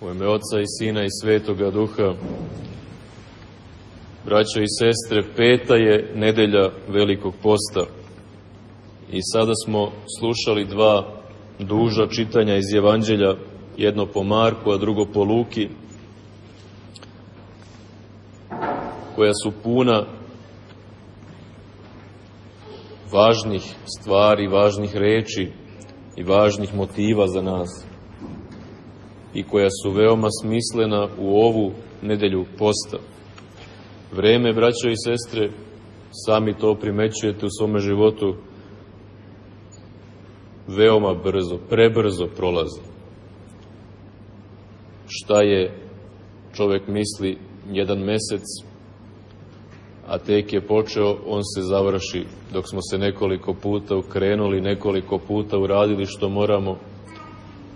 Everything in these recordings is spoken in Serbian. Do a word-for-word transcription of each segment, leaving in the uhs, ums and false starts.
U ime Oca i Sina i Svetoga Duha, braćo i sestre, peta je nedelja Velikog posta i sada smo slušali dva duža čitanja iz Evanđelja, jedno po Marku, a drugo po Luki, koja su puna važnih stvari, važnih reči i važnih motiva za nas i koja su veoma smislena u ovu nedelju posta. Vreme, braćo i sestre, sami to primećujete u svome životu, veoma brzo, prebrzo prolazi. Šta je, čovek misli, jedan mesec, a tek je počeo, on se završi, dok smo se nekoliko puta ukrenuli, nekoliko puta uradili što moramo,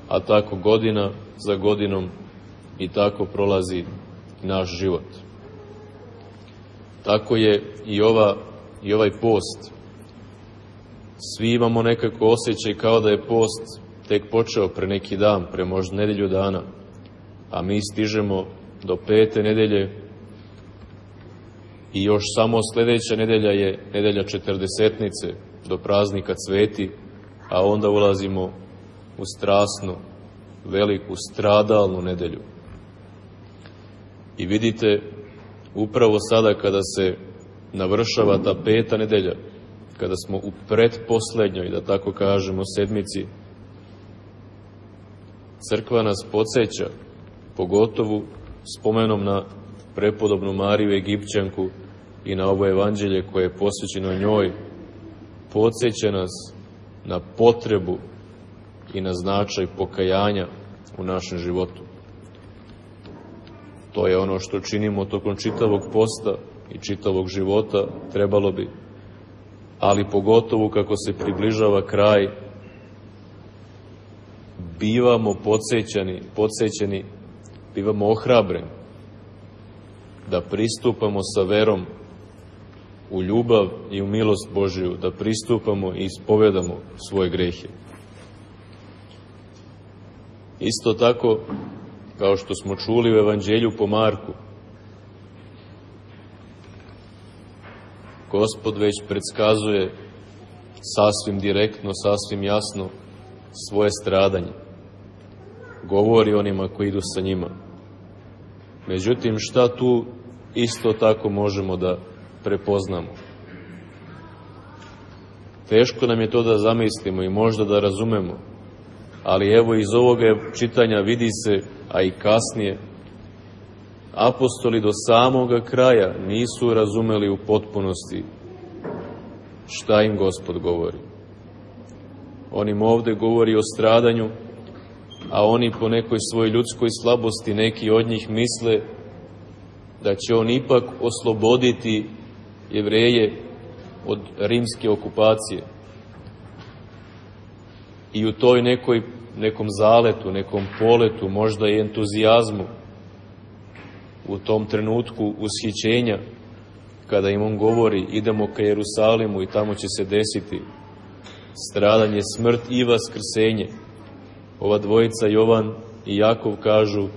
a tako godina za godinom i tako prolazi naš život. Tako je i, ova, i ovaj post. Svi imamo nekako osjećaj kao da je post tek počeo pre neki dan, pre možda nedelju dana, a mi stižemo do pete nedelje i još samo sledeća nedelja je nedelja četrdesetnice do praznika Cveti, a onda ulazimo u strasnu, veliku, stradalnu nedelju. I vidite, upravo sada kada se navršava ta peta nedelja, kada smo u pretposlednjoj, da tako kažemo, sedmici, crkva nas podsjeća, pogotovo spomenom na prepodobnu Mariju Egipćanku i na ovo evanđelje koje je posvećeno njoj, podsjeća nas na potrebu i na značaj pokajanja u našem životu. To je ono što činimo tokom čitavog posta i čitavog života, trebalo bi, ali pogotovo kako se približava kraj, bivamo podsjećani, podsjećeni, bivamo ohrabreni da pristupamo sa verom u ljubav i u milost Božiju, da pristupamo i ispovedamo svoje grehe. Isto tako, kao što smo čuli u Evanđelju po Marku, Gospod već predskazuje sasvim direktno, sasvim jasno svoje stradanje. Govori onima koji idu sa njima. Međutim, šta tu isto tako možemo da prepoznamo? Teško nam je to da zamislimo i možda da razumemo, ali evo iz ovoga čitanja vidi se, a i kasnije, apostoli do samoga kraja nisu razumeli u potpunosti šta im Gospod govori. On im ovde govori o stradanju, a oni po nekoj svojoj ljudskoj slabosti, neki od njih misle da će on ipak osloboditi Jevreje od rimske okupacije. I u toj nekoj, nekom zaletu, nekom poletu, možda i entuzijazmu, u tom trenutku ushićenja, kada im on govori idemo ka Jerusalimu i tamo će se desiti stradanje, smrt i vaskrsenje, ova dvojica Jovan i Jakov kažu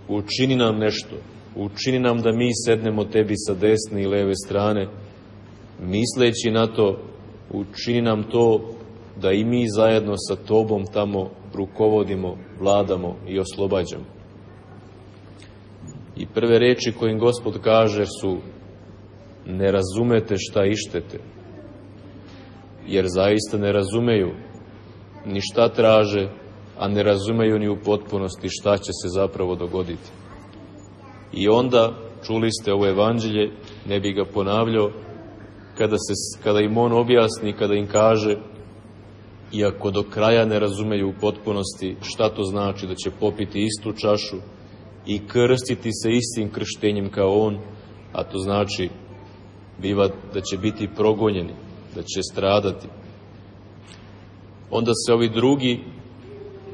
učini nam nešto, učini nam da mi sednemo tebi sa desne i leve strane, misleći na to učini nam to da i mi zajedno sa tobom tamo rukovodimo, vladamo i oslobađamo. I prve reči koje im Gospod kaže su ne razumete šta ištete, jer zaista ne razumeju ni šta traže, a ne razumeju ni u potpunosti šta će se zapravo dogoditi. I onda, čuli ste ovo evanđelje, ne bi ga ponavljao, kada, se, kada im on objasni, kada im kaže, iako do kraja ne razumeju u potpunosti šta to znači da će popiti istu čašu i krstiti se istim krštenjem kao on, a to znači biva da će biti progonjeni, da će stradati. Onda se ovi drugi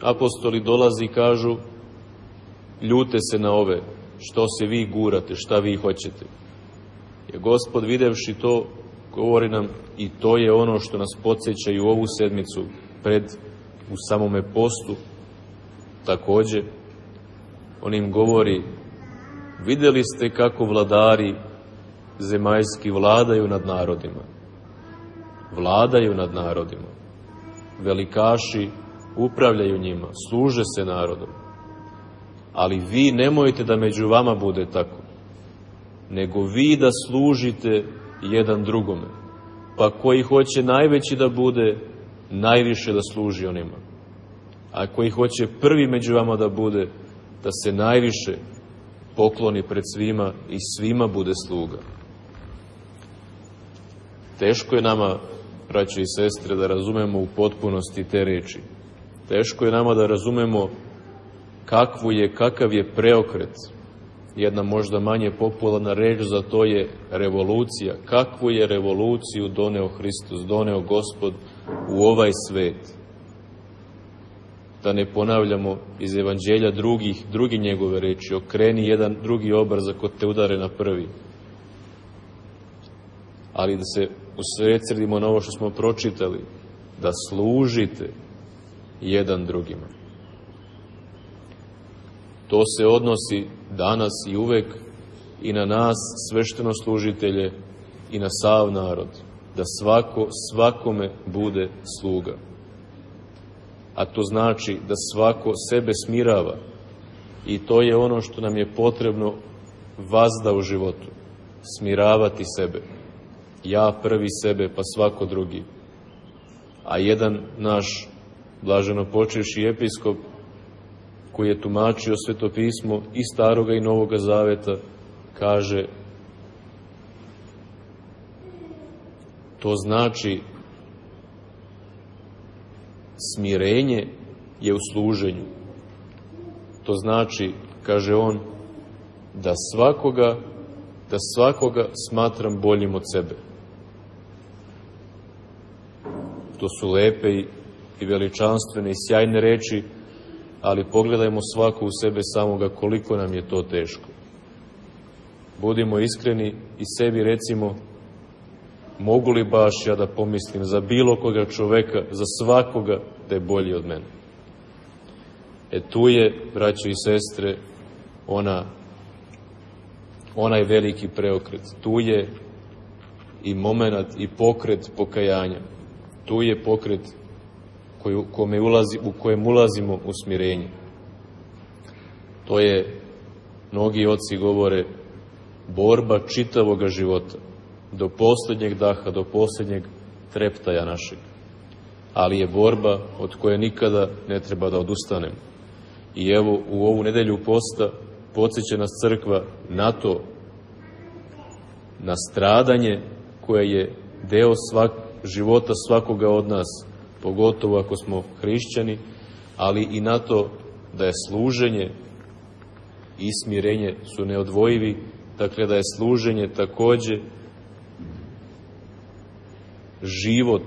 apostoli dolazi i kažu ljute se na ove, što se vi gurate, šta vi hoćete. Jer Gospod videvši to, govori nam i to je ono što nas podsjeća i u ovu sedmicu pred, u samome postu, takođe, on im govori: vidjeli ste kako vladari zemaljski vladaju nad narodima. Vladaju nad narodima. Velikaši upravljaju njima, služe se narodom. Ali vi nemojte da među vama bude tako, nego vi da služite jedan drugome. Pa koji hoće najveći da bude, najviše da služi onima. A koji hoće prvi među vama da bude, da se najviše pokloni pred svima i svima bude sluga. Teško je nama, braćo i sestre, da razumemo u potpunosti te reči. Teško je nama da razumemo kakvu je, kakav je preokret. Jedna možda manje popularna reč za to je revolucija. Kakvu je revoluciju doneo Hristos, doneo Gospod u ovaj svet. Da ne ponavljamo iz evanđelja drugih, drugi njegove reči: okreni jedan drugi obraz ako te udare na prvi. Ali da se usredsredimo na ovo što smo pročitali, da služite jedan drugima. To se odnosi danas i uvek i na nas, sveštenoslужitelje, i na sav narod, da svako svakome bude sluga. A to znači da svako sebe smirava, i to je ono što nam je potrebno vazda u životu. Smiravati sebe. Ja prvi sebe, pa svako drugi. A jedan naš blaženopočivši episkop, koji je tumačio Sveto pismo i Staroga i Novoga Zaveta, kaže: to znači smirenje je u služenju. To znači, kaže on, da svakoga, da svakoga smatram boljim od sebe. To su lepe i veličanstvene i sjajne reči, ali pogledajmo svako u sebe samoga koliko nam je to teško. Budimo iskreni i sebi recimo: mogu li baš ja da pomislim za bilo koga čoveka, za svakoga, da je bolji od mene? E tu je, braćo i sestre, ona, onaj veliki preokret. Tu je i momenat i pokret pokajanja. Tu je pokret koji, kome ulazi, u kojem ulazimo u smirenje. To je, mnogi oci govore, borba čitavoga života, do posljednjeg daha, do posljednjeg treptaja našeg. Ali je borba od koje nikada ne treba da odustanemo. I evo, u ovu nedelju posta podsjeća nas crkva na to, na stradanje koje je deo svak, života svakoga od nas, pogotovo ako smo hrišćani, ali i na to da je služenje i smirenje su neodvojivi, dakle da je služenje takođe život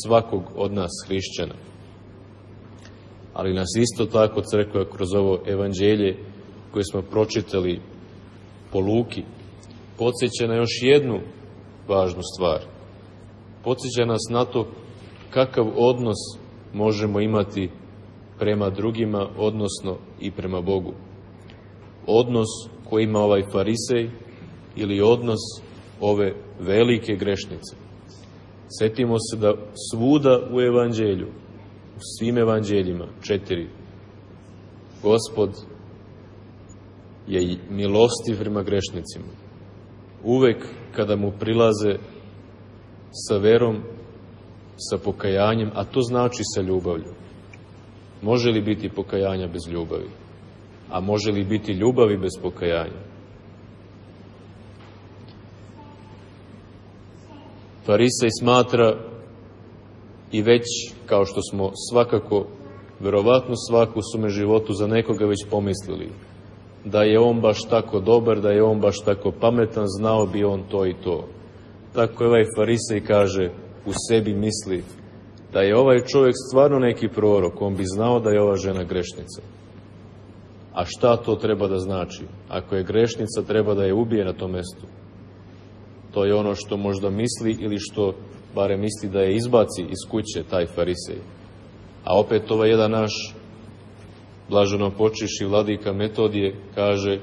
svakog od nas hrišćana. Ali nas isto tako crkva kroz ovo evanđelje koje smo pročitali po Luki podsjeća na još jednu važnu stvar. Podsjeća nas na to kakav odnos možemo imati prema drugima, odnosno i prema Bogu. Odnos koji ima ovaj farisej ili odnos ove velike grešnice. Setimo se da svuda u evanđelju, u svim evanđeljima, četiri, Gospod je milostiv prema grešnicima. Uvek kada mu prilaze sa verom, sa pokajanjem, a to znači sa ljubavlju. Može li biti pokajanja bez ljubavi? A može li biti ljubavi bez pokajanja? Farisej smatra, i već, kao što smo svakako, verovatno svako u svome životu za nekoga već pomislili, da je on baš tako dobar, da je on baš tako pametan, znao bi on to i to. Tako je ovaj farisej kaže, u sebi misli, da je ovaj čovjek stvarno neki prorok, on bi znao da je ova žena grešnica. A šta to treba da znači? Ako je grešnica, treba da je ubije na tom mestu. To je ono što možda misli ili što bare misli da je izbaci iz kuće taj farisej. A opet ovaj jedan naš blaženo počiši vladika Metodije, kaže,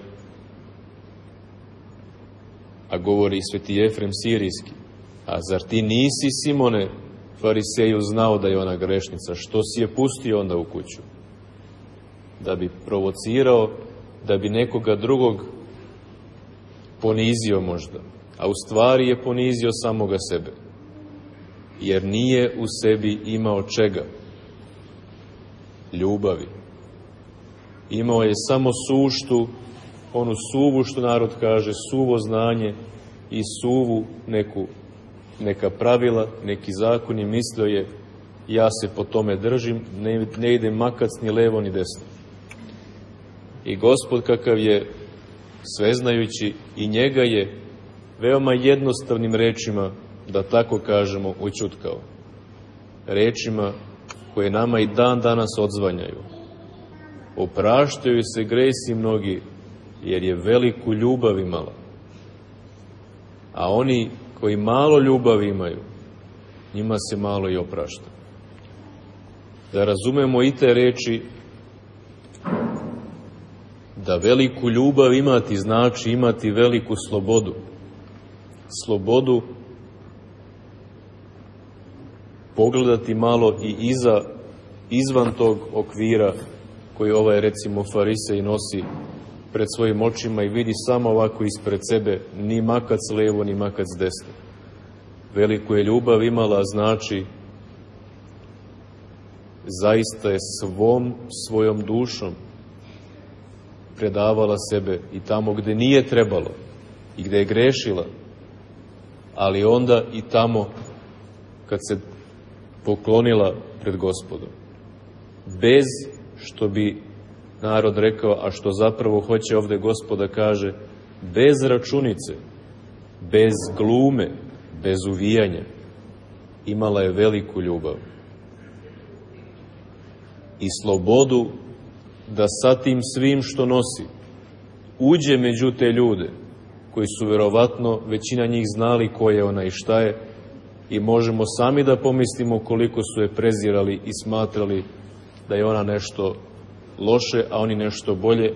a govori sveti Jefrem Sirijski, a zar ti nisi, Simone, fariseju, znao da je ona grešnica, što si je pustio onda u kuću? Da bi provocirao, da bi nekoga drugog ponizio možda, a u stvari je ponizio samoga sebe, jer nije u sebi imao čega? Ljubavi. Imao je samo suštu, onu suvu, što narod kaže, suvo znanje i suvu neku, neka pravila, neki zakon, i mislio je, ja se po tome držim, ne, ne ide makac ni levo ni desno. I Gospod, kakav je sveznajući, i njega je veoma jednostavnim rečima, da tako kažemo, ućutkao. Rečima koje nama i dan danas odzvanjaju. Opraštaju se gresi mnogi, jer je veliku ljubav imala. A oni koji malo ljubavi imaju, njima se malo i oprašta. Da razumemo i te reči, da veliku ljubav imati znači imati veliku slobodu. Slobodu pogledati malo i iza, izvan tog okvira koji ovaj, recimo, farisej nosi pred svojim očima i vidi samo ovako ispred sebe, ni makac levo, ni makac desno. Veliku je ljubav imala, znači zaista je svom svojom dušom predavala sebe i tamo gde nije trebalo i gde je grešila, ali onda i tamo kad se poklonila pred Gospodom. Bez, što bi narod rekao, a što zapravo hoće ovde Gospoda kaže, bez računice, bez glume, bez uvijanja, imala je veliku ljubav i slobodu da sa tim svim što nosi uđe među te ljude koji su verovatno većina njih znali ko je ona i šta je, i možemo sami da pomislimo koliko su je prezirali i smatrali da je ona nešto loše, a oni nešto bolje.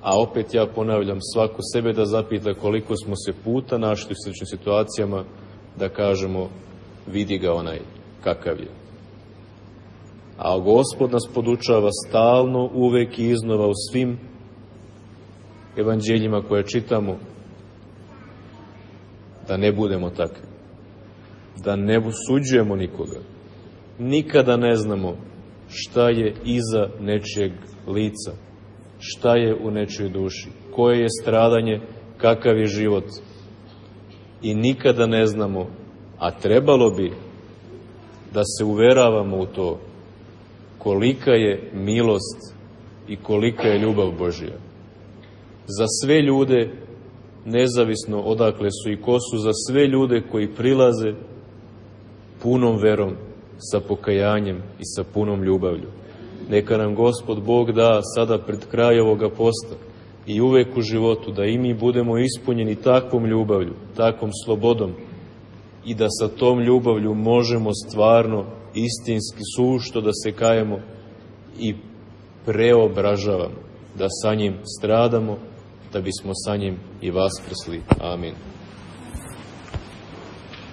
A opet ja ponavljam, svako sebe da zapita koliko smo se puta našli u sličnim situacijama da kažemo, vidi ga onaj kakav je. A Gospod nas podučava stalno, uvek i iznova u svim evanđeljima koje čitamo, da ne budemo takvi, da ne osuđujemo nikoga. Nikada ne znamo šta je iza nečijeg lica, šta je u nečijoj duši, koje je stradanje, kakav je život. I nikada ne znamo, a trebalo bi da se uveravamo u to, kolika je milost i kolika je ljubav Božja. Za sve ljude, nezavisno odakle su i ko su, za sve ljude koji prilaze punom verom, sa pokajanjem i sa punom ljubavlju. Neka nam Gospod Bog da sada pred kraj ovoga posta i uvek u životu da i mi budemo ispunjeni takvom ljubavlju, takvom slobodom, i da sa tom ljubavlju možemo stvarno, istinski, sušto da se kajemo i preobražavamo, da sa njim stradamo, da bismo sa njim i vaskrsli. Amin.